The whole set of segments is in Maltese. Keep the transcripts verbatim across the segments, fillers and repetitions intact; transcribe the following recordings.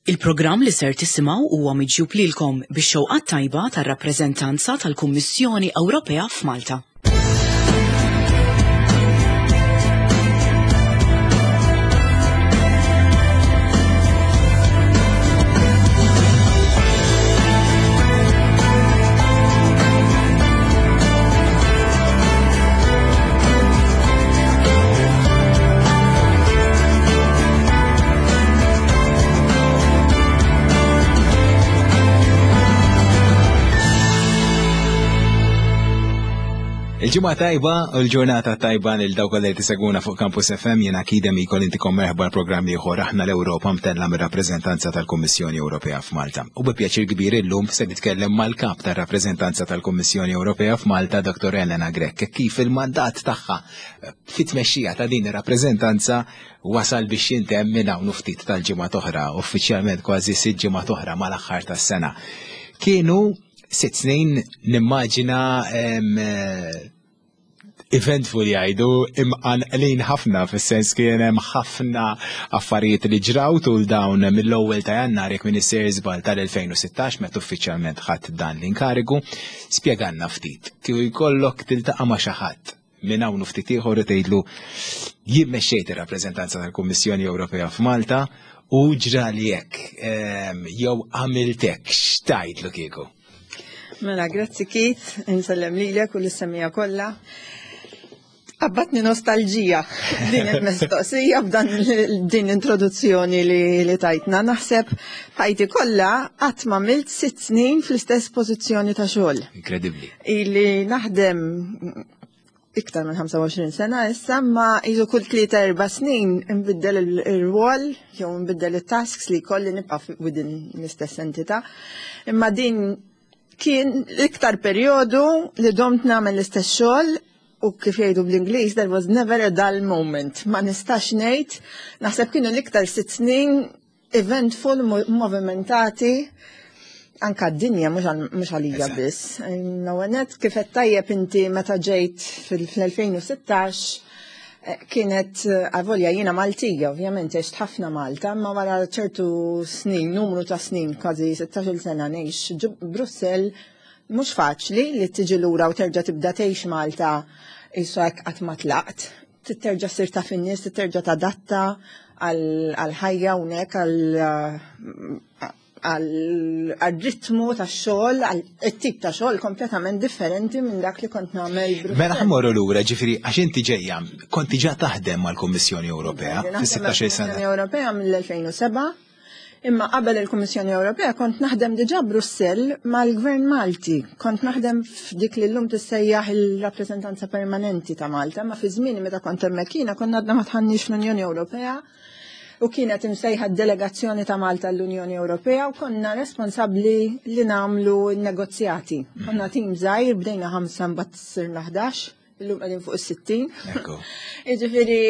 Il-programm li ser tisimgħu huwa miġjub lilkom bix-xewqat tajba tar-rappreżentanza tal-Kummissjoni Ewropea f'Malta. Il-ġimgħa tajba u l-ġurnata tajba lil dawk li tisegwuna fuq Campus F M. Jiena Kidem ikol intikom merħba l-programm ieħor Aħna l-Ewropa, mtella mir-rappreżentanza tal-Kummissjoni Ewropea f'Malta. U bi pjaċir kbir illum se nitkellem mal-kap tar-rappreżentanza tal-Kummissjoni Ewropea f'Malta, Dottor Elena Grech, kif il-mandat tagħha fit-tmexxija ta' din ir-rappreżentanza wasal biex jintemm minn hawn ftit tal-ġimgħa oħra, uffiċjalment kważi sitt ġimgħa oħra mal-aħħar tas-sena. Kienu sitt snin, nimmaġina, eventful jgħidu, imqanqlin ħafna, fis-sens kien hemm ħafna affarijiet li ġraw tul dawn mill-ewwel ta' Jannar, jekk m'iniex sejjer żball, tal-elfejn u sittax, meta uffiċjalment ħadd dan l-inkarigu. Spjegalna ftit kif jkollok tiltaqa' ma' xi ħadd minn hawn ftit ieħor u tgħidlu: "Jien mexxejt ir-rappreżentanza tal-Kummissjoni Ewropea f'Malta u ġrali hekk jew għamilt hekk", x'tgħidlu kieku? Mela, grazzi Keith, insellem lilek u lis-semmiegħa kollha. Qabbatni nostalġija din il-mistoqsija b'dan din introduzzjoni li, li tajtna. Naħseb ħajti kollha qatt ma għamilt sitt snin fl-istess pożizzjoni ta' xogħol. Inkredibbli. Ili naħdem iktar minn ħamsa u għoxrin sena issa, ma iżu kull tlieta erba' snin nbiddel il-rwol jew nbiddel it-tasks li kolli, nibqa' within l-istess entità. Imma din kien l-iktar perjodu li domt nagħmel l-istess xogħol u, kif jgħidu bl-Ingliż, there was never a dull moment. Ma nistax ngħid, naħseb kienu l-iktar sitt snin eventful, movimentati, anka d-dinja, mhux għalija biss. L-ewwel, kif qed tajjeb inti, meta ġejt fil-elfejn u sittax eh, kienet, eh, avolja jiena Maltija, ovvjament għext ħafna Malta, ma wara ċertu snin, numru ta' snin, kważi sittax-il sena ngħix Brussell, mhux faċli li tiġi lura u terġa' tibda tgħix Malta qisu hekk qatt ma tlaqt. Terġa' ssir taf in-nies, terġa' tadatta għal-ħajja hawnhekk, għal-ritmu ta' xogħol, għal-tip ta' xogħol kompletament differenti minn dak li kont nagħmel. Mela ħa mmorru lura, ġifieri għax inti ġejja, konti ġa taħdem mal-Kummissjoni Ewropea fis-sittax-il sena. Kummissjoni Ewropea mill-elfejn u sebgħa. Imma qabel il-Kummissjoni Ewropea kont naħdem diġà Brussell mal-Gvern Malti. Kont naħdem f'dik li llum tissejjaħ il-rappreżentanza permanenti ta' Malta, ma fi żmieni meta kont hemmhekk jiena konna għadna ma dħalniex fl-Unjoni Ewropea u kienet imsejħa delegazzjoni ta' Malta l-Unjoni Ewropea u konna responsabbli li nagħmlu negozjati. Konna tim żgħir, bdejna ħamsa, mbagħad sirna ħdax, illum qegħdin fuq is-sittin. Jiġifieri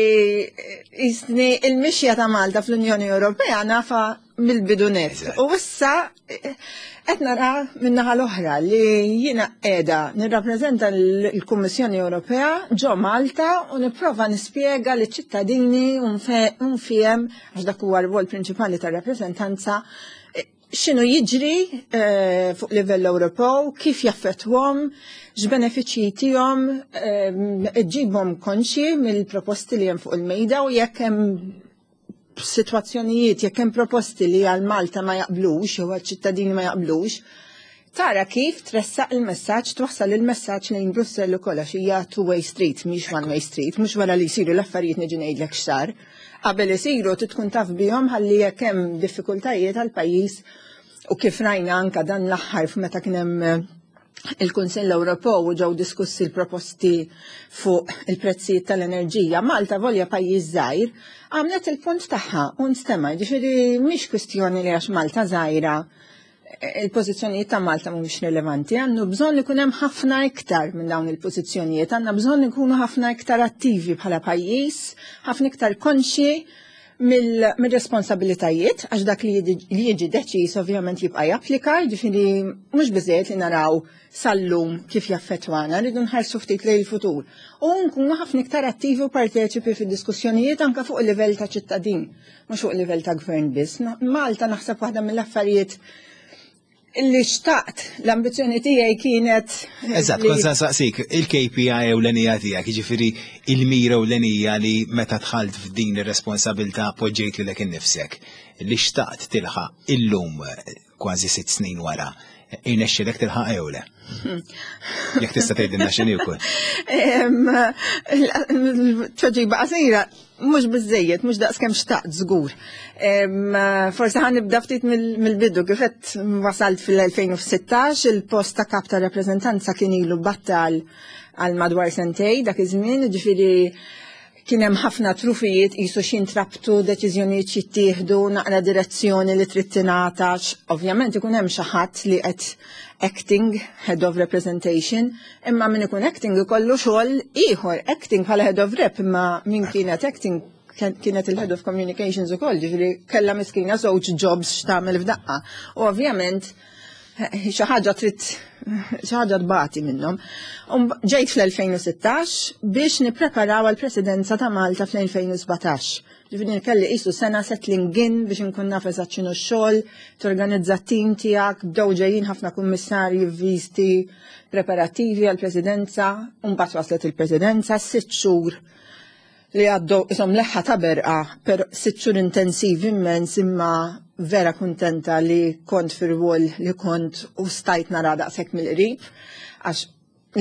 jisni il-mixja ta' Malta fl-Unjoni Ewropea nafha mill-bidu nett. U issa qed nara min-naħa l-oħra li jiena qiegħda nirrappreżenta l-Kummissjoni Ewropea ġo Malta u nipprova nispjega liċ-ċittadini u nfiehem, għax dak huwa r-rwol prinċipali tar-rappreżentanza, x'inhu jiġri eh, fuq livell Ewropew, kif jaffettwahom, x'benefiċċji tihom, eh, ġibhom konxi mill-proposti li hemm fuq il-mejda u jekk hemm situazzjonijiet, jekk hemm proposti li għal Malta ma jaqblux, jew għal ċittadini ma jaqblux, tara kif tressaq il-messaġġ, twassal il-messaġġ lejn Brussell ukoll, għax hija two-way street, mhix one-way street, mhux wara li jsiru l-affarijiet niġi ngħidlek x'sar. Qabel isiru tkun taf bihom ħalli jekk hemm diffikultajiet għal pajjiż, u kif rajna anka dan l-aħħar meta kien hemm eh, il-Kunsill Ewropew u ġew diskussi l-proposti fuq il-prezzijiet tal-enerġija. Malta, volja pajjiż żgħir, għamlet il-punt tagħha u nstema', ġifieri mhix kwistjoni li għax Malta żgħira eh, il-pożizzjonijiet ta' Malta mhumiex rilevanti. Għandu bżonn ikun hemm ħafna iktar minn dawn il-pożizzjonijiet, għandna bżonn ikunu ħafna iktar attivi bħala pajjiż, ħafna iktar konxi Mill-responsabilitajiet, għax dak li jiġi deċiż ovvjament jibqa' japplika, ġifieri mhux biżejjed li naraw sal-lum kif jaffettwana, rridu nħarsu ftit lejn il-futur. U nkunu ħafna iktar attivi u parteċipi fid-diskussjonijiet anke fuq il-livell ta' ċittadin, mhux fuq il-livell ta' gvern biss. Malta naħseb waħda mill-affarijiet li xtaqt, l-ambizjoni tiegħi kienet. Eżatt, kont se nsaqsik, il-K P I ewlenija tiegħek, jiġifieri il-mira ewlenija li meta dħalt f'din ir-responsabilità poġġejt lilek innifsek, li xtaqt tilħaq illum kważi sitt snin wara, irnexxielek tilħaq jew le? Jekk tista' tgħidilna x'inhi wkoll. Tweġiba qasira, mhux biżejjed, mhux daqs kemm xtaqt żgur. Forsi ħa nibda ftit mill-bidu, kif qed wasalt fil-elfejn u sittax, il-post ta' kap ta' rappreżentanza kien ilu battal għal madwar sentejn dak iż-żmien, ġifieri kien hemm ħafna trufijiet qisu x'intrabtu, deċiżjonijiet jittieħdu, naqra direzzjoni li trid tingħata. Ovvjament ikun hemm xi ħadd li qed acting head of representation, imma min ikun acting ikollu xogħol ieħor, acting bħala head of rep, imma min kienet acting kienet il-head of communications ukoll, ġifieri kellha miskina żewġ jobs x'tagħmel f'daqqa. U ovvjament xi ħaġa trid xi ħaġa tbati minnhom. Ġejt fl-elfejn u sittax biex nippreparaw għall-Presidenza ta' Malta fl-elfejn u sbatax. Ġifieri kelli qisu sena settling in biex inkun naf eżatt x'inhu x-xogħol, torganizza t-tim tiegħek, bdew ġejjin ħafna kummissarji f'viżti preparativi għall-Presidenza, u mbagħad waslet il-Presidenza, sitt xhur li għaddew qishom leħħa ta' berqa, per sitt xhur intensivi immens, imma vera kuntenta li kont fir-rwol li kont u stajt nara daqshekk mill-qrib, għax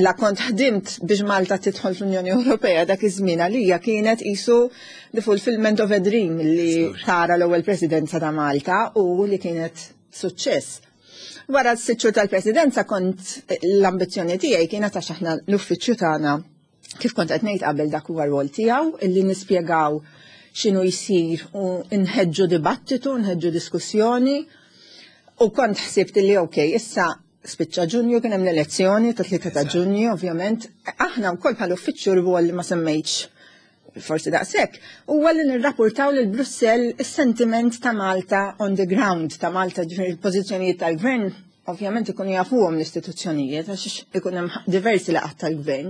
la kont ħdimt biex Malta tidħol fl-Unjoni Ewropea, dak iż-żmien għalija kienet qisu the fulfillment of a dream li tara l-ewwel presidenza ta' Malta u li kienet suċċess. Wara s-sitt xhur tal-presidenza kont l-ambizzjoni tiegħi kienet, għax aħna l-uffiċċju tagħna, kif kont qed ngħid qabel, dak huwa rwol tiegħu illi nispjegaw x'inhu jsir u nħeġġu dibattitu, nħeġġu diskussjoni, u kont ħsibt li ok, issa spiċċa Ġunju, kien hemm l-elezzjoni ta' tlieta ta' Ġunju, ovvjament. Aħna wkoll bħal uffiċċju rwol li ma semmejtx forsi daqshekk, huwa li nirrapportaw lil Brussell is-sentiment ta' Malta on the ground, ta' Malta, ġifieri il-pożizzjonijiet tal-gvern ovvjament ikunu jafuhom l-istituzzjonijiet għax ikun hemm diversi laqgħat tal-gvern.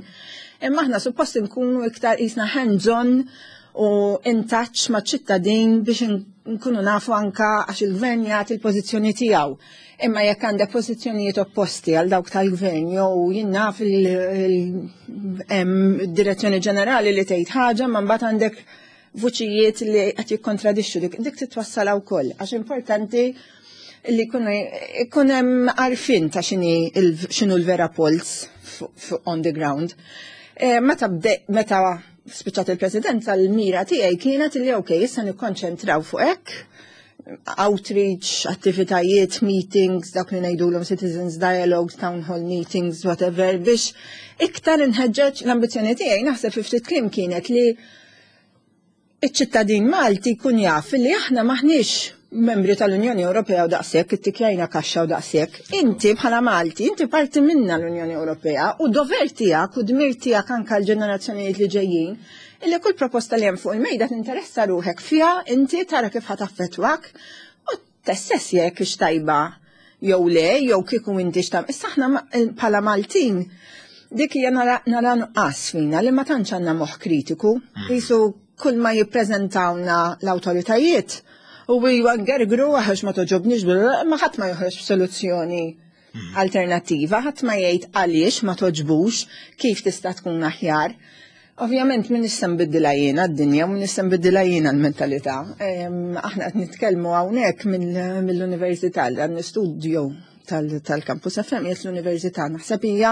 Imma aħna suppost nkunu iktar qisna hands-on u in touch ma' ċittadin biex nkunu nafu anka, għax il-gvern jagħti l-pożizzjoni tiegħu. Imma jekk għandek pożizzjonijiet opposti għal dawk tal-gvern jew jien naf il-direzzjoni ġenerali li tgħid ħaġa, ma mbagħad għandek vuċijiet li qed jikkontradixxu dik, dik titwassal wkoll, għax importanti li jkun hemm għarfien ta' x'inhu l-vera pulse on the ground. Eh, meta meta spiċċat il-presidenza, l-mira tiegħi kienet li ok, issa nikkonċentraw fuq hekk, outreach, attivitajiet, meetings, dak li ngħidulhom citizens dialogues, town hall meetings, whatever, biex iktar inħeġġeġ. L-ambizzjoni tiegħi naħseb fi ftit kliem kienet li iċ-ċittadin Malti jkun jaf li aħna maħniex membri tal-Unjoni Ewropea u daqshekk, ittikjajna kaxxa u daqshekk. Inti bħala Malti, inti parti minna l-Unjoni Ewropea u dover tiegħek u dmir tiegħek anke l-ġenerazzjonijiet li ġejjin illi kull proposta li hemm fuq il-mejda tinteressa ruħek fiha, inti tara kif ħa taffettwak u tassessja jekk hix tajba jew le, jew kieku inti x'tam. Issa aħna bħala Maltin dik hija nara nara nuqqas fina li ma tantx għandna moħħ kritiku. Qisu kull ma jippreżentawna l-awtoritajiet u iwa ngergru għax ma togħġobniex, ma ħadd ma joħroġ b'soluzzjoni alternattiva, ħadd ma jgħid għaliex ma togħġbux, kif tista' tkun aħjar. Ovvjament min issa nbiddilha jiena d-dinja, min issa nbiddilha jiena l-mentalità. Aħna qed nitkellmu hawnhekk mill-università, għan studio tal-Campus F M qiegħed l-università. Naħseb hija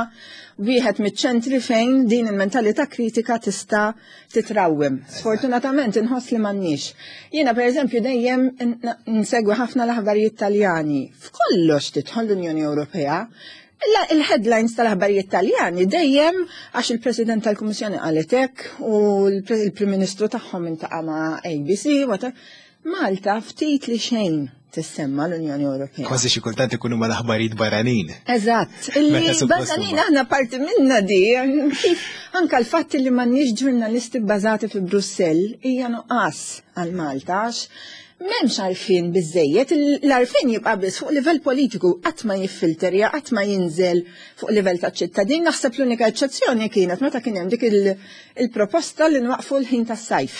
wieħed miċ-ċentri fejn din il-mentalità kritika tista' titrawwem. Sfortunatament inħoss li m'għandniex. Jiena pereżempju dejjem nsegwi ħafna l-aħbarijiet Taljani. F'kollox tidħol l-Unjoni Ewropea. Il-headlines tal-aħbarijiet Taljani dejjem, għax il-President tal-Kummissjoni qalet hekk u l-Prim Ministru tagħhom iltaqa' ma' A B C. Malta ftit li xejn. tissemma l-Unjoni Ewropea. Kważi xi kultant ikunu mal-aħbarijiet barranin. Eżatt, illi barranin aħna parti minna di, kif anka l-fatt li m'għandniex ġurnalisti bbażati fi Brussell hija nuqqas għal Malta, għax m'hemmx għarfien biżejjed, l-għarfien jibqa' biss fuq livell politiku, qatt ma jiffilterja, qatt ma jinżel fuq livell ta' ċittadin. Naħseb l-unika eċċezzjoni kienet meta kien hemm dik il-proposta li nwaqfu l-ħin tas-sajf.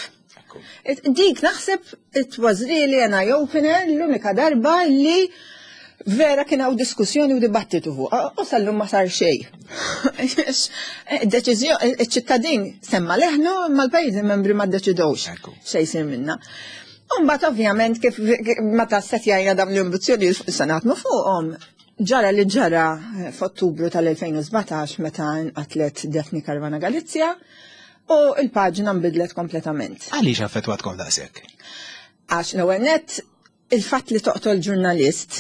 Dik naħseb it was really an eye-opener, l-unika darba li vera kien hawn diskussjoni u dibattitu fuq. U sal-lum ma sar xejn. Deċiżjoni, iċ-ċittadin semma leħnu, ma l-pajjiżi membri ma ddeċidewx xejn jsir minna. Umbagħad ovvjament kif meta setjajna dawn l-ambizzjoni se naħdmu fuqhom, ġara li ġara f'Ottubru tal-elfejn u sbatax meta nqatlet Daphne Caruana Galizia u il-paġna nbidlet kompletament. Għaliex affettwatkom daqshekk? Għax l-ewwel nett il-fatt li toqtol ġurnalist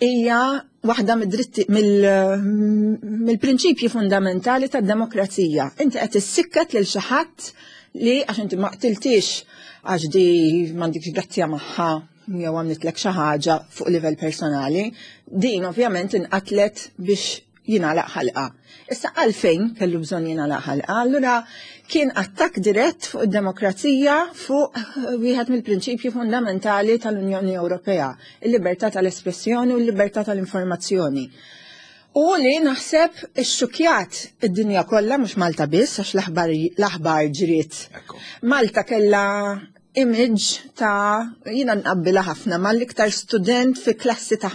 hija waħda mid-dritti mill-prinċipji fundamentali tad-demokrazija. Inti qed issikket lil xi ħadd li għax inti ma qtiltix għax di m'għandikx grazzja magħha jew għamlitlek xi ħaġa fuq livell personali, din ovvjament inqatlet biex jingħalaq ħalqa. Issa għalfejn kellu bżonn jingħalaq ħalqa, allura kien attakk dirett fuq id-demokrazija, fuq wieħed mill-prinċipji fundamentali tal-Unjoni Ewropea, il-libertà tal-espressjoni u l-libertà tal-informazzjoni. U li naħseb ixxukjat id-dinja kollha, mhux Malta biss, għax l-aħbar ġriet. Malta kella image ta' jina nqabbila ħafna ma l-iktar student fi klassi ta'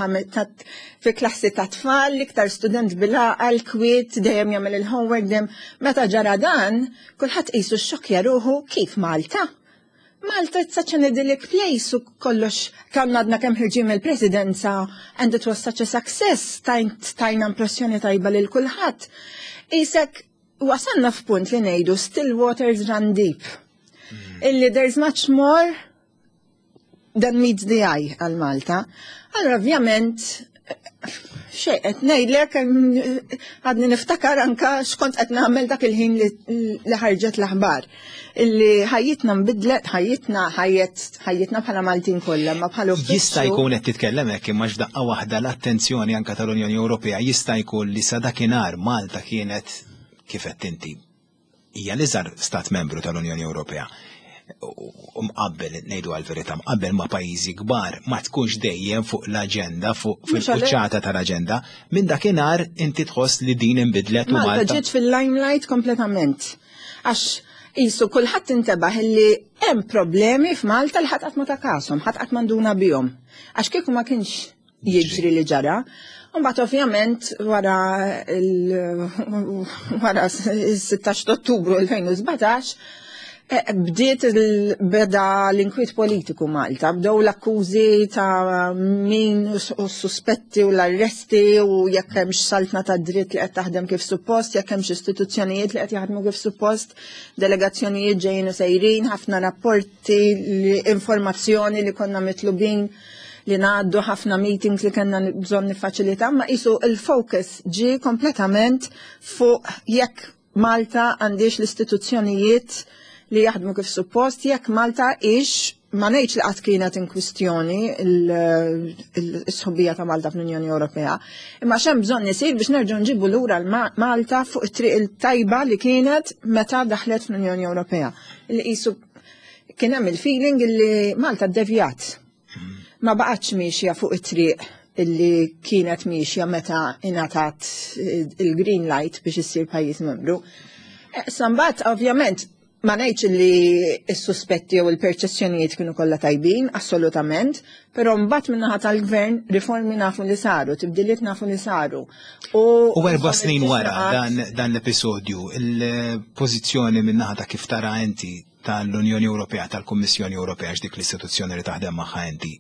fi klassi ta' tfal, l-iktar student bil-għaqal, kwiet, dejjem jagħmel il-homework, dejjem meta ġara dan, kulħadd qisu xokja ruħu kif Malta. Malta, it's such an idyllic place u kollox kam għadna kemm ħerġin mill-presidenza and it was such a success, tajna impressjoni tajba lil kulħadd. Isek wasalna f'punt li ngħidu still waters run deep. Illi there's much more than meets the eye għal Malta. Allora ovvjament xejn qed ngħidlek, għadni niftakar anka x'kont qed nagħmel dak il-ħin li ħarġet l-aħbar. Illi ħajjitna nbidlet, ħajjitna ħajjet ħajjitna bħala Maltin kollha, ma bħala Jista' jkun qed titkellem hekk, imma x'daqqa waħda l-attenzjoni anka tal-Unjoni Ewropea jista' jkun li sa dakinhar Malta kienet, kif qed inti, hija l-iżgħar stat membru tal-Unjoni Ewropea. U mqabbel, ngħidu għal-verità, mqabbel ma' pajjiżi kbar, ma tkunx dejjem fuq l-aġenda, fuq fil-quċċata tal-aġenda. Minn dakinhar inti tħoss li din inbidlet u Malta Malta ġiet fil-limelight kompletament. Għax qisu kulħadd intebaħ li hemm problemi f'Malta li ħadd qatt ma ta kashom, ħadd qatt manduna bihom. Għax kieku ma kienx jiġri li ġara. Mbagħad ovvjament wara il wara s-sittax Ottubru elfejn u sbatax eh, bdiet il- beda l-inkwiet politiku Malta, bdew l-akkużi ta' min u s-suspetti u l-arresti u jekk hemmx saltna ta' dritt li qed taħdem kif suppost, jekk hemmx istituzzjonijiet li qed jaħdmu kif suppost, delegazzjonijiet ġejjin u sejrin, ħafna rapporti, li- informazzjoni li konna mitlubin li ngħaddu, ħafna meetings li kellna bżonn nifaċilita, ma qisu il-focus ġie kompletament fuq jekk Malta għandix l-istituzzjonijiet li jaħdmu kif suppost, jekk Malta ix, ma ngħidx li qatt kienet in kwistjoni il-sħubija ta' Malta fl-Unjoni Ewropea, imma x'hemm bżonn isir biex nerġgħu nġibu lura l-Malta fuq it-triq il-tajba li kienet meta daħlet fl-Unjoni Ewropea. Li qisu kien hemm il-feeling li Malta ddevjat. Ma baqgħetx miexja fuq it-triq illi kienet miexja meta ingħatat il-green light biex issir pajjiż membru. Eh, Sambat, ovvjament, ma ngħidx li s-suspetti jew il-perċezzjonijiet kienu kollha tajbin, assolutament, però mbagħad min-naħa tal-gvern riformi nafu li saru, tibdiliet nafu li saru. U erba' snin wara dan, dan l-episodju, il-pożizzjoni min-naħa ta' kif tara inti tal-Unjoni Ewropea, tal-Kummissjoni Ewropea, dik l-istituzzjoni li taħdem magħha inti,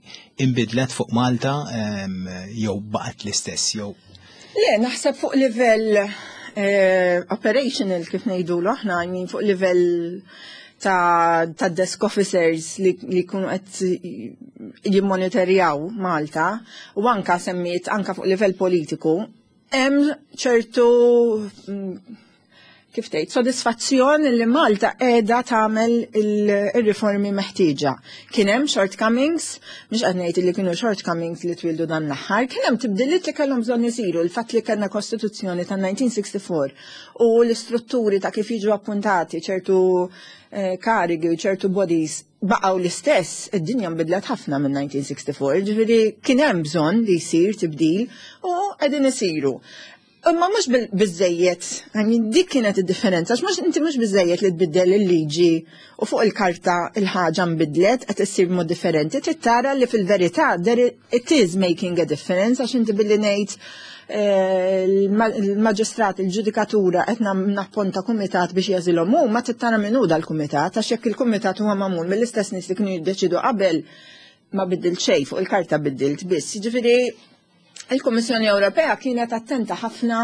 inbidlet fuq Malta em, jew baqgħet l-istess jew Le, naħseb fuq livell eh, operational, kif ngħidulu aħna, I mean, fuq livell ta', ta' desk officers li, li kunu qed jimmonitorjaw Malta u anka semmiet anka fuq livell politiku hemm ċertu mm, kif tgħid, sodisfazzjon li Malta qiegħda tagħmel il-riformi meħtieġa. Kien hemm shortcomings, mhux qed ngħid li kienu shortcomings li twildu dan l-aħħar, kien hemm tibdiliet li kellhom bżonn isiru, il-fatt li kellna kostituzzjoni ta' elf disa' mija u sitta u disgħin u l-istrutturi ta' kif jiġu appuntati ċertu eh, karigi u ċertu bodies baqgħu l-istess, id-dinja nbidlet ħafna minn elf disa' mija u sitta u disgħin, ġifieri kien hemm bżonn li jsir tibdil u qegħdin isiru. Imma mhux biżejjed, I mean, dik kienet id-differenza, għax mhux inti mhux biżejjed li tbiddel il-liġi u fuq il-karta il-ħaġa nbidlet qed issir mod differenti, trid tara li fil-verità it is making a difference, għax inti billi ngħid eh, il-maġistrat, il-ġudikatura qed napponta kumitat biex jagħżilhom hu, ma trid tara min hu dal-kumitat, għax jekk il-kumitat huwa magħmul mill-istess nies li kienu jiddeċidu qabel, ma biddilt xejn, fuq il-karta biddilt biss. Jiġifieri il-Kummissjoni Ewropea kienet attenta ħafna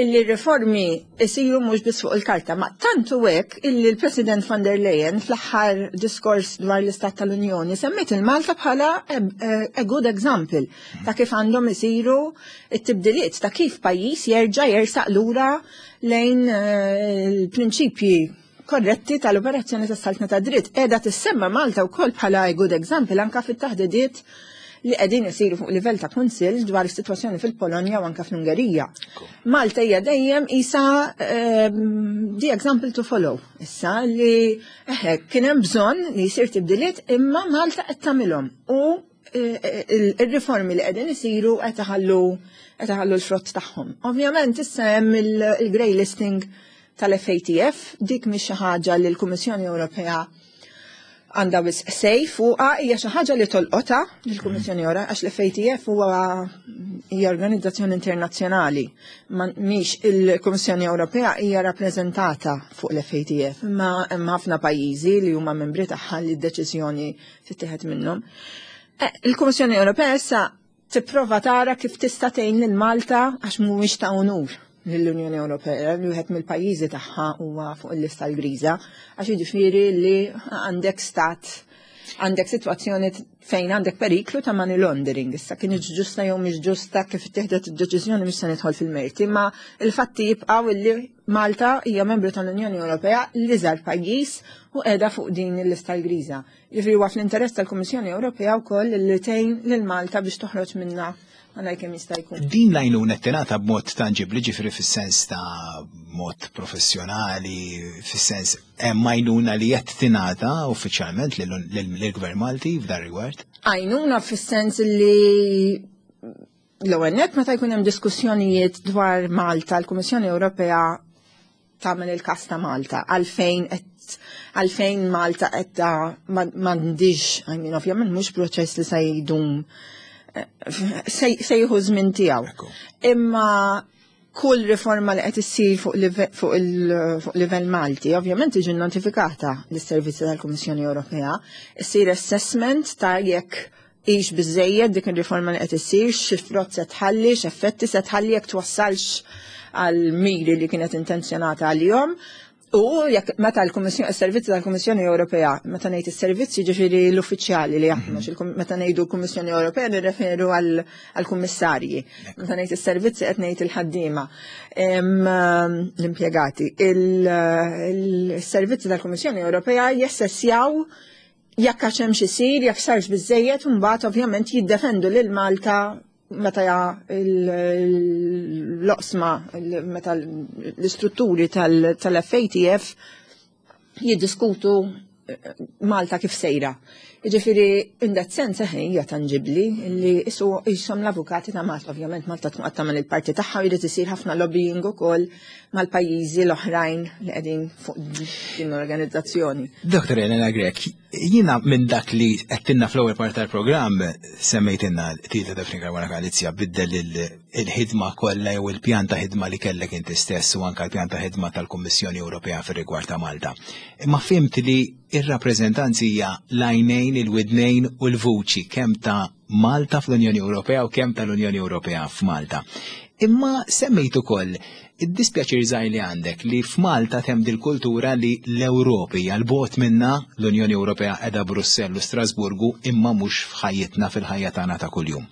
illi riformi isiru mhux biss fuq il-karta, ma tantu hekk illi l-President von der Leyen fl-aħħar diskors dwar l-Istat tal-Unjoni semmiet il-Malta bħala a good example ta' kif għandhom isiru it-tibdiliet, ta' kif pajjiż jerġa' jersaq lura lejn eh, il-prinċipji korretti tal-operazzjoni tas-saltna ta' dritt. Qiegħda tissemma Malta wkoll bħala a good example anka fit-taħdidiet li qegħdin isiru fuq livell ta' kunsill dwar is-sitwazzjoni fil-Polonja u anka fl-Ungerija. Malta hija dejjem isa ehm, the example to follow. Issa li eħe kien hemm bżonn li jsir tibdiliet, imma Malta qed tagħmilhom u eh, il-riformi li qegħdin isiru qed iħallu qed iħallu l-frott tagħhom. Ovvjament issa hemm il-grey listing tal-F A T F, dik mhix xi ħaġa li l-Kummissjoni Ewropea għandha wisq say fuqha, hija xi ħaġa li tolqotha lill-Kummissjoni Ewropea għax l-F A T F huwa hija organizzazzjoni internazzjonali. Ma mhix il-Kummissjoni Ewropea hija rappreżentata fuq l-F A T F, imma hemm ħafna pajjiżi li huma membri tagħha li d-deċiżjoni tittieħed minnhom. Eh, Il-Kummissjoni Ewropea issa tipprova tara kif tista' tgħin lil Malta, għax mhuwiex ta' unur lill-Unjoni Ewropea li wieħed mill-pajjiżi tagħha huwa fuq il-lista l-griża, għax jiġifieri li għandek stat, għandek sitwazzjoni fejn għandek periklu ta' money laundering. Issa kien ġusta jew mhix ġusta kif ittieħdet id-deċiżjoni, mhix se nidħol fil-merti, imma il-fatti jibqgħu illi Malta hija membru tal-Unjoni Ewropea, l-iżgħar pajjiż, u qiegħda fuq din il-lista l-griża. Jiġifieri huwa fl-interess tal-Kummissjoni Ewropea wkoll li tgħin lil Malta biex toħroġ minna għalaj kemm jista' jkun. Din l-għajnuna tingħata b'mod tanġibli, ġifieri fis-sens ta' mod professjonali, fis-sens hemm għajnuna li qed tingħata uffiċjalment lill-Gvern Malti f'dan rigward? Għajnuna fis-sens li l-ewwel nett meta jkun hemm diskussjonijiet dwar Malta, l-Kummissjoni Ewropea tagħmel il-kas ta' Malta, għalfejn qed għalfejn Malta qed m'għandix, I mean, ovvjament mhux proċess li se jdum, se se jieħu żmien tiegħu. Ekku. Imma kull riforma li qed issir fuq live- fuq il- fuq livell Malti, ovvjament tiġi notifikata lis-servizzi tal-Kummissjoni Ewropea, issir assessment ta' jekk hix biżejjed dik ir-riforma li qed issir, xi frott se tħalli, x'effetti se tħalli, jekk twassalx għal miri li kienet intenzjonata għalihom. U jekk meta l-Kummissjoni, is-servizzi tal-Kummissjoni Ewropea, meta ngħid is-servizzi ġifieri l-uffiċjali li jaħdmu, għax il- meta ngħidu l-Kummissjoni Ewropea nirreferu għall-kummissarji. Meta ngħid is-servizzi qed ngħid il-ħaddiema, em, l-impjegati. Il-servizzi tal-Kummissjoni Ewropea jassessjaw jekk għax hemm xi jsir, jekk sarx biżejjed, u mbagħad ovvjament jiddefendu lil Malta meta l-oqsma, meta l-istrutturi tal-F A T F jiddiskutu eh, Malta kif sejra. Jiġifieri, in that sense, eħe, hija tangibli li isu jisom l-avukati ta' Malta. Ovvjament Malta tkun qed tagħmel il-parti tagħha u jrid isir ħafna lobbying ukoll mal-pajjiżi l-oħrajn li qegħdin fuq din l-organizzazzjoni. Doktor Elena Grech, jiena minn dak li għedtilna fl-ewwel part tal-programm, semmejtilna tita Daphne Caruana Galizia biddel il-ħidma kollha jew il-pjan ta' ħidma li kellek inti stess u anka l-pjan ta' ħidma tal-Kummissjoni Ewropea fir-rigward ta' Malta. Imma fhimt li ir-rappreżentanzi hija l-għajnejn, il-widnejn u l-vuċi kemm ta' Malta fl-Unjoni Ewropea u kemm tal-Unjoni Ewropea f'Malta. Imma semmejt ukoll id-dispjaċir żgħir li għandek li f'Malta hemm dil-kultura li l-Ewropa 'l bogħod minna, l-Unjoni Ewropea qiegħda Brussell u Strasburgu, imma mhux f'ħajjitna, fil-ħajja tagħna ta' kuljum.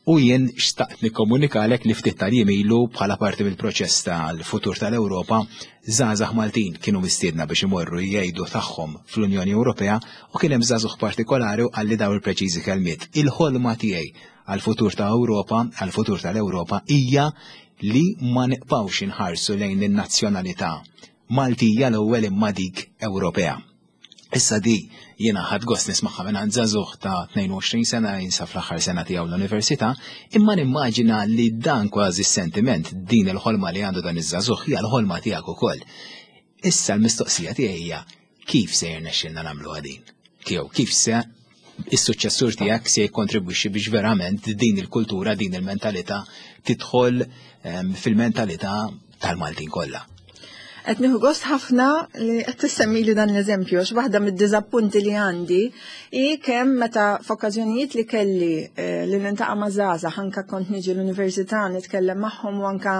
U jien xtaqt nikkomunikalek li ftit tal-jiem ilu, bħala parti mill-proċess tal-futur tal-Ewropa, żgħażagħ Maltin kienu mistiedna biex imorru jgħidu tagħhom fl-Unjoni Ewropea u kien hemm żagħżugħ partikolari u qalli daw il-preċiżi kelmiet: "Il-ħolma tiegħi għal-futur ta' Ewropa, għal-futur tal-Ewropa, hija li ma nibqgħux inħarsu lejn in-nazzjonalità Maltija l-ewwel imma dik Ewropea." Issa di jiena ħadt gost nismagħha minn żagħżugħ ta' tnejn u għoxrin sena jinsab fl-aħħar sena tiegħu l-università, imma nimmaġina li dan kważi sentiment, din il-ħolma li għandu dan iż-żagħżugħ, hija l-ħolma tiegħek ukoll. Issa l-mistoqsija tiegħi hija kif se jirnexxilna nagħmlu din? Tiegħu kif se is-suċċessur tiegħek se jikkontribwixxi biex verament din il-kultura, din il-mentalità tidħol ehm, fil-mentalità tal-Maltin kollha? Qed nieħu gost ħafna li qed tissemmi li dan l-eżempju, għax waħda mid-diżappunti li għandi hi kemm meta f'okkażjonijiet li kelli eh, li nintaqa' ma' żgħażagħ, anka kont niġi l-università nitkellem magħhom u anka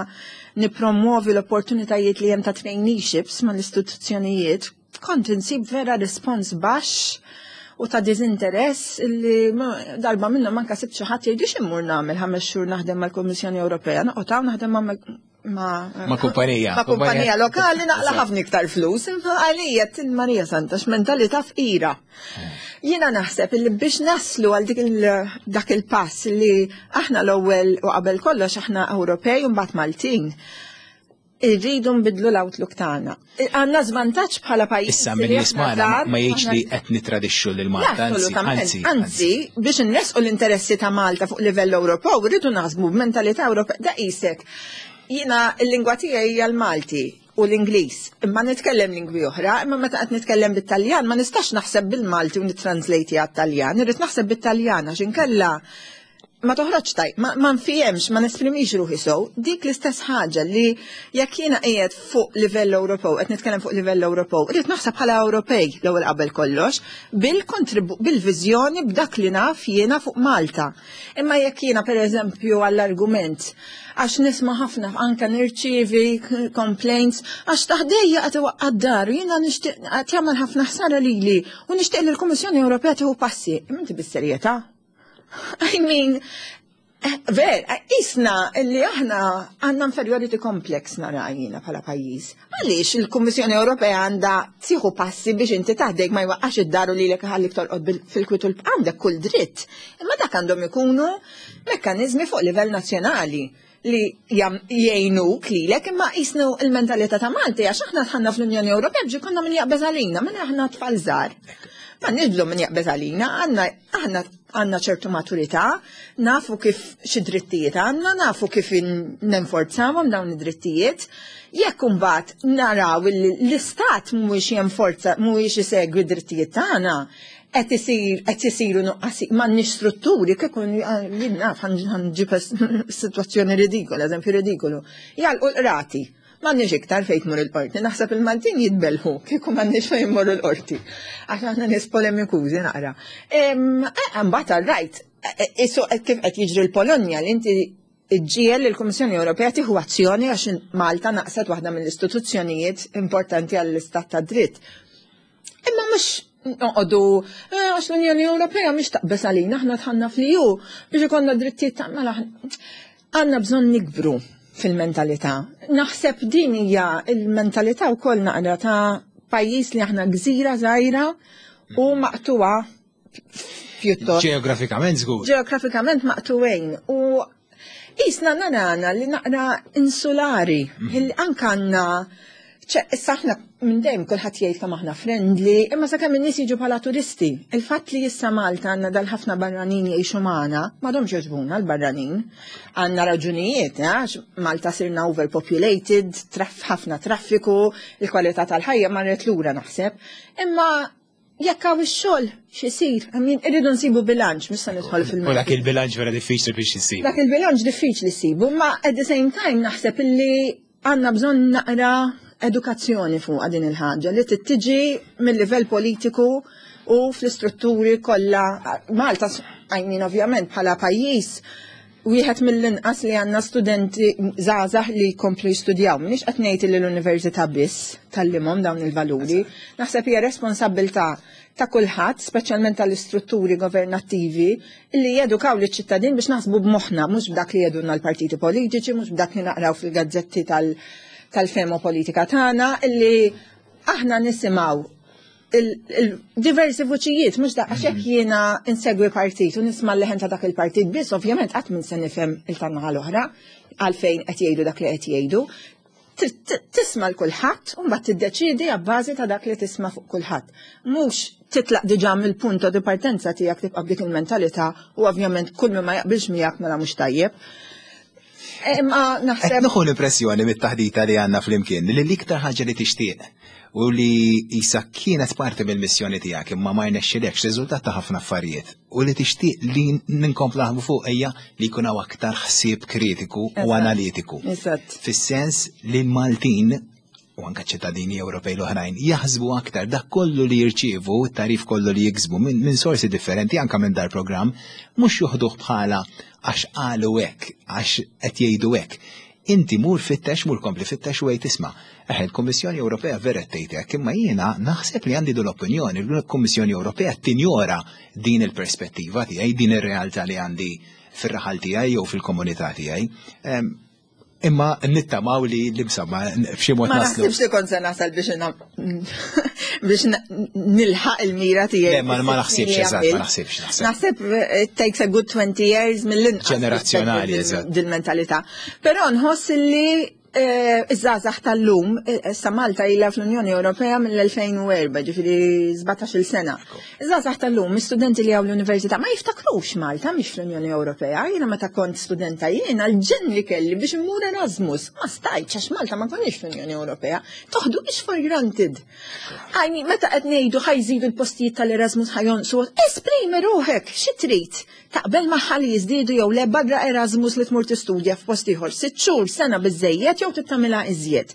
nipromuovi l-opportunitajiet li hemm ta' traineeships mal-istituzzjonijiet, kont insib vera respons baxx u ta' diżinteress li darba minnhom anka sibt xi ħadd jgħidu: "X'immur nagħmel ħames xhur naħdem mal-Kummissjoni Ewropea, noqgħod hawn naħdem ma' ma' ma' kumpanija. Ma' kumpanija lokali naqla' ħafna iktar flus." Għalija Marija Santa, x'mentalità fqira. Jiena naħseb li biex naslu għal dik dak il-pass li aħna l-ewwel u qabel kollox aħna Ewropej u mbagħad Maltin, irridu nbidlu l-outlook tagħna. Għandna żvantaġġ bħala pajjiż. Issa min jismagħna ma jgħidx li qed nitradixxu lil Malta, anzi, anzi, anzi, biex nresqu l-interessi ta' Malta fuq livell Ewropew, irridu naħsbu b'mentalità Ewropea. Da qisek. Jiena l-lingwa tiegħi hija l-Malti u l-Ingliż, imma nitkellem lingwi oħra, imma meta qed nitkellem bit-Taljan ma nistax naħseb bil-Malti u nittranslate għat-Taljan, irrid naħseb bit-Taljan għax inkella ma toħroġ taj, ma, ma nfihemx, ma nesprimix ruħi sew. Dik l-istess ħaġa li jekk jiena qiegħed fuq livell Ewropew, qed nitkellem fuq livell Ewropew, irrid naħseb bħala Ewropej l-ewwel qabel kollox, bil-viżjoni b'dak li naf jiena fuq Malta. Imma jekk jiena, pereżempju, għall-argument, għax nisma' ħafna, anka nirċievi complaints għax ta' ħdejja qed iwaqqa' d-dar, jiena nixtieq, qed jagħmel ħafna ħsara lili u nixtieq li l-Kummissjoni Ewropea tieħu passi. Imma inti bis-serjetà? I mean, ver, isna li aħna għandna inferiority complex nara jiena bħala pajjiż. Għaliex il-Kummissjoni Ewropea għandha tieħu passi biex inti ta' ħdejk ma jwaqqax id-daru li lek ħallik torqod fil-kwitu? Għandek kull dritt. Imma dak għandhom ikunu mekkaniżmi fuq livell nazzjonali li jgħinuk lilek, imma jisnu il-mentalità ta' Malti, għax aħna dħalna fl-Unjoni Ewropea biex konna min jaqbeż għalina, minn aħna tfal żgħar. Ma nidlu min jaqbeż għalina, għandna aħna għandna ċertu maturità, nafu kif xi drittijiet għandna, nafu kif nenforzawhom dawn id-drittijiet. Jekk imbagħad naraw li l-istat mhuwiex jenforza, mhuwiex isegwi d-drittijiet tagħna, qed isir qed isiru nuqqasi, m'għandniex strutturi, kieku jien naf, ħa nġib sitwazzjoni ridikola, eżempju ridikolu. Jagħlqu l-qrati. M'għandniex iktar fejn tmur il-qorti. Naħseb il-Maltin jitbelħu kieku m'għandniex fejn tmur il-qorti. Għax aħna nies polemikużi naqra. Mbagħad rajt, isu kif qed jiġri l-Polonja, li inti iġġiegħel il-Kummissjoni Ewropea tieħu azzjoni għax Malta naqset waħda mill-istituzzjonijiet importanti għall-istat ta' dritt. Imma mhux noqogħdu eh, għax l-Unjoni Ewropea mhix taqbeż għalina, aħna dħalna fl-E U biex ikollna drittijiet ta' mela għandna bżonn nikbru fil-mentalità. Naħseb din hija il-mentalità wkoll naqra ta' pajjiż li aħna gżira żgħira u maqtuwa pjuttost. Ġeografikament żgur. Ġeografikament maqtuwejn u jisna narana li naqra insulari. Mhm. Anka għandna, issa aħna minn dejjem kulħadd jgħid kemm aħna friendly, imma sakemm in-nies jiġu bħala turisti. Il-fatt li issa Malta għandna dal-ħafna barranin jgħixu magħna, m'għadhomx jogħġbuna l-barranin. Għandna raġunijiet, għax Malta sirna overpopulated, traf ħafna traffiku, il-kwalità tal-ħajja marret lura naħseb. Imma jekk hawn ix-xogħol x'isir, I mean, irridu nsibu bilanċ, mhux se nidħol fil U dak il-bilanċ vera diffiċli biex issib. Dak il-bilanċ diffiċli ssibu, ma at the same time naħseb illi għandna bżonn naqra edukazzjoni fuq din il-ħaġa li tiġi mill-livell politiku u fl-istrutturi kollha. Malta, I mean, ovvjament bħala pajjiż wieħed mill-inqas li għandna studenti żgħażagħ li jkomplu jistudjaw. M'iniex qed ngħid li l-università biss tgħallimhom dawn il-valuri. Naħseb hija responsabbiltà ta' kulħadd, speċjalment tal-istrutturi governattivi, li jedukaw liċ-ċittadin biex naħsbu b'moħħna, mhux b'dak li jedunna l-partiti politiċi, mhux b'dak li naqraw fil-gazzetti tal-femo politika tagħna, illi aħna nisimgħu il-diversi vuċijiet, mhux da għax hekk jiena insegwi partit u nisma' l-leħen ta' dak il-partit biss, ovvjament qatt minn se nifhem il-tan-naħa l-oħra għalfejn qed jgħidu dak li qed jgħidu. Tisma' l kulħadd u mbagħad tiddeċiedi abbażi ta' dak li tisma' fuq kulħadd. Mhux titlaq diġà mill-punto di partenza tiegħek tibqa' b'dik il-mentalità u ovvjament kull min ma jaqbilx miegħek mela mhux tajjeb. Imma naħseb. Qed nieħu l-impressjoni mit-taħdita li għandna flimkien li l-iktar ħaġa li tixtieq u li jisa kienet parti mill-missjoni tiegħek imma ma jnexxilekx riżultat ta' ħafna affarijiet u li tixtieq li ninkomplu naħdmu fuq hija li jkun hawn aktar ħsieb kritiku u analitiku. Eżatt. Fis-sens li l-Maltin u anke ċittadini Ewropej l-oħrajn jaħsbu aktar dak kollu li jirċievu, it-tarif kollu li jiksbu minn min sorsi differenti anke minn dar programm, mhux juħduh bħala għax qalu hekk, għax qed jgħidu hekk. Inti mur fittex, mur kompli fittex u għid isma'. Eħe, il-Kummissjoni Ewropea vera tgħid hekk, imma jiena naħseb li għandi l-opinjoni li l-Kummissjoni Ewropea tinjora din il-perspettiva tiegħi, din ir-realtà li għandi fir-raħal tiegħi jew fil-komunità tiegħi. Imma nittamaw li l-imsamma f'xi mod Ma naslu. naħsibx li kont se nasal biex na- biex na- nilħaq il-mira tiegħi. Le, ma ma naħsibx, eżatt, ma naħsibx, naħseb. Naħseb eh, it takes a good twenty years mill-inqas. Ġenerazzjonali, biex eżatt. Dil-mentalità. Però nħoss li eh, iż-żgħażagħ tal-lum, eh, issa Malta ilha fl-Unjoni Ewropea mill-elfejn u erba', ġifieri sbatax-il sena. Iż-żgħażagħ tal-lum, istudenti li hawn l-università, ma jiftakrux Malta mhix fl-Unjoni Ewropea. Jiena meta kont studenta jiena l-ġenn li kelli biex immur Erasmus, ma stajtx għax Malta ma konniex fl-Unjoni Ewropea. Toħdu ix for granted. Għajni, meta qed ngħidu ħa jżidu l-postijiet tal-Erasmus ħa jonqsu, esprimi ruħek, xi trid? Taqbel magħha li jiżdiedu jew le barra Erasmus li tmur tistudja f'post ieħor sitt xhur, sena biżejjed jew tittamilha iżjed.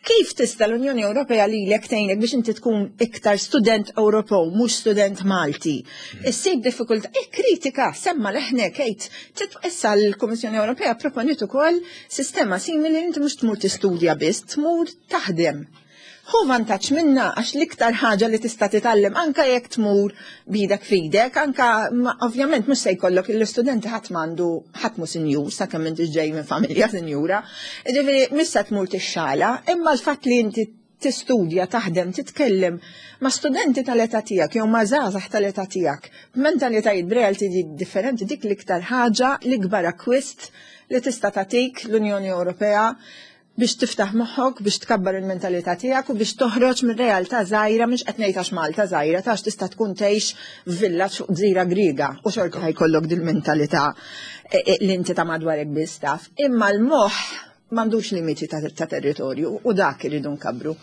Kif tista' l-Unjoni Ewropea lilek tgħinek biex inti tkun iktar student Ewropew, mhux student Malti? Issib diffikultà, kritika, semma leħnek, għid. Issa l-Kummissjoni Ewropea proponiet ukoll sistema simili li inti mhux tmur tistudja biss, tmur taħdem. Hu vantaġġ minna għax l-iktar ħaġa li tista' titgħallem anka jekk tmur bidek fidek, anka ma, ovvjament mhux se jkollok l-istudenti ħadd m'għandu ħadd mhu sinjur sakemm inti ġej minn familja sinjura. Ġifieri mhux se tmur tixxala, imma l-fatt li inti tistudja, taħdem, titkellem ma' studenti tal-età tiegħek jew ma' żgħażagħ tal-età tiegħek, b'mentalitajiet b'realti differenti, dik l-iktar ħaġa, l-ikbar akkwist li tista' tagħtik l-Unjoni Ewropea biex tiftaħ moħħok, biex tkabbar il-mentalità tiegħek u biex toħroġ minn realtà żgħira, mhux qed ngħid għax Malta żgħira, tax tista' tkun tgħix f'villaġġ fuq gżira Griega u xorta ħajkollok dil-mentalità, e, e, li inti ta' madwarek biss taf. Imma l-moħħ m'għandux limiti ta', ta' territorju u dak irridu nkabru.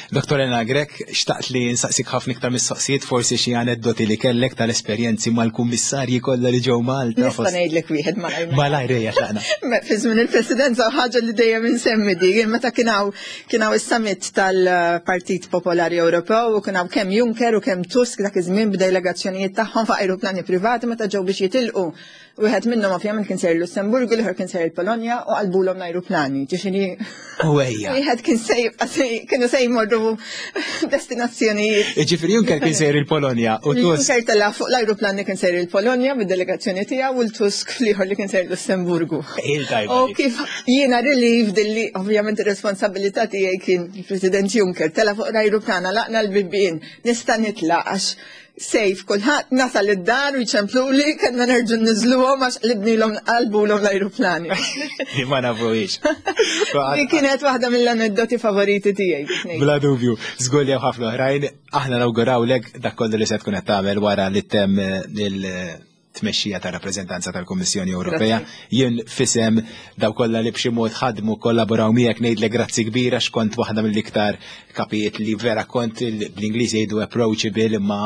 Doktor Elena Grech, xtaqt li nsaqsik ħafna iktar mistoqsijiet, forsi xi aneddoti li kellek tal-esperjenzi mal-kummissarji kollha li ġew Malta. Nista' fost- ngħidlek wieħed malajr. Malajr ejja tlaqna. Me, fi żmien il-Presidenza ħaġa li dejjem insemmi di, meta kien hawn, kien hawn is-summit tal-Partit Popolari Ewropew u kien hawn kemm Juncker u kemm Tusk dak iż-żmien b'delegazzjonijiet tagħhom fuq ajruplani privati meta ġew biex jitilqu. Wieħed minnhom ovvjament kien sejjer Lussemburgu, l-ieħor kien sejjer il-Polonja u qalbulhom l-ajruplani. Ġifieri U ejja. Wieħed kien se jibqa' se kienu se jmorru destinazzjonijiet. Ġifieri Juncker kien sejjer il-Polonja u Tusk. Juncker tela' fuq l-ajruplan li kien sejjer il-Polonja bid-delegazzjoni tiegħu u l-Tusk fl-ieħor li kien sejjer Lussemburgu. Il-tajba U dik. kif jiena relieved li ovvjament ir-responsabilità tiegħi kien il-President Juncker tela' fuq l-ajruplan laqna l-bibien nista' nitlaq għax safe kulħadd nasal id-dar u jċempluli kellna nerġgħu niżluhom għax qlibnilhom qalbulhom l-ajruplani. Li ma nafuhiex. Di kienet waħda mill-aneddoti favoriti tiegħi. Bla dubju, żgur li hawn ħafna oħrajn, aħna nawgurawlek dak kollu li se tkun qed tagħmel wara li temm il-tmexxija ta' rappreżentanza tal-Kummissjoni Ewropea. Grazzi. Jien fisem daw kollha li b'xi mod ħadmu kollaboraw miegħek ngħidlek grazzi kbira x'kont waħda mill-iktar kapijiet li vera kont il-, bl-Ingliż jgħidu approachable imma,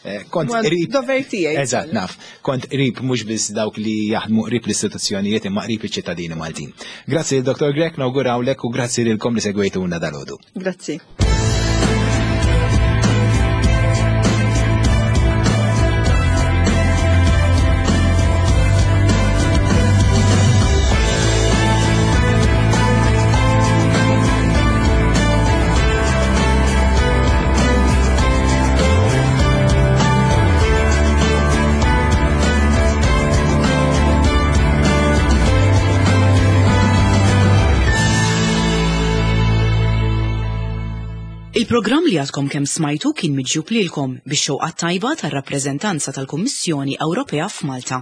eh, kont Well, qrib. Dover tiegħi. Eżatt, naf. Kont qrib mhux biss dawk li jaħdmu qrib l-istituzzjonijiet imma qrib iċ-ċittadini Maltin. Grazzi lil Doktor Grech, nawgurawlek u grazzi lilkom li segwejtuna dalgħodu. Grazzi. Il-programm li għadkom kemm smajtu kien miġjub lilkom bix-xewqa tajba tar-rappreżentanza tal-Kummissjoni Ewropea f'Malta.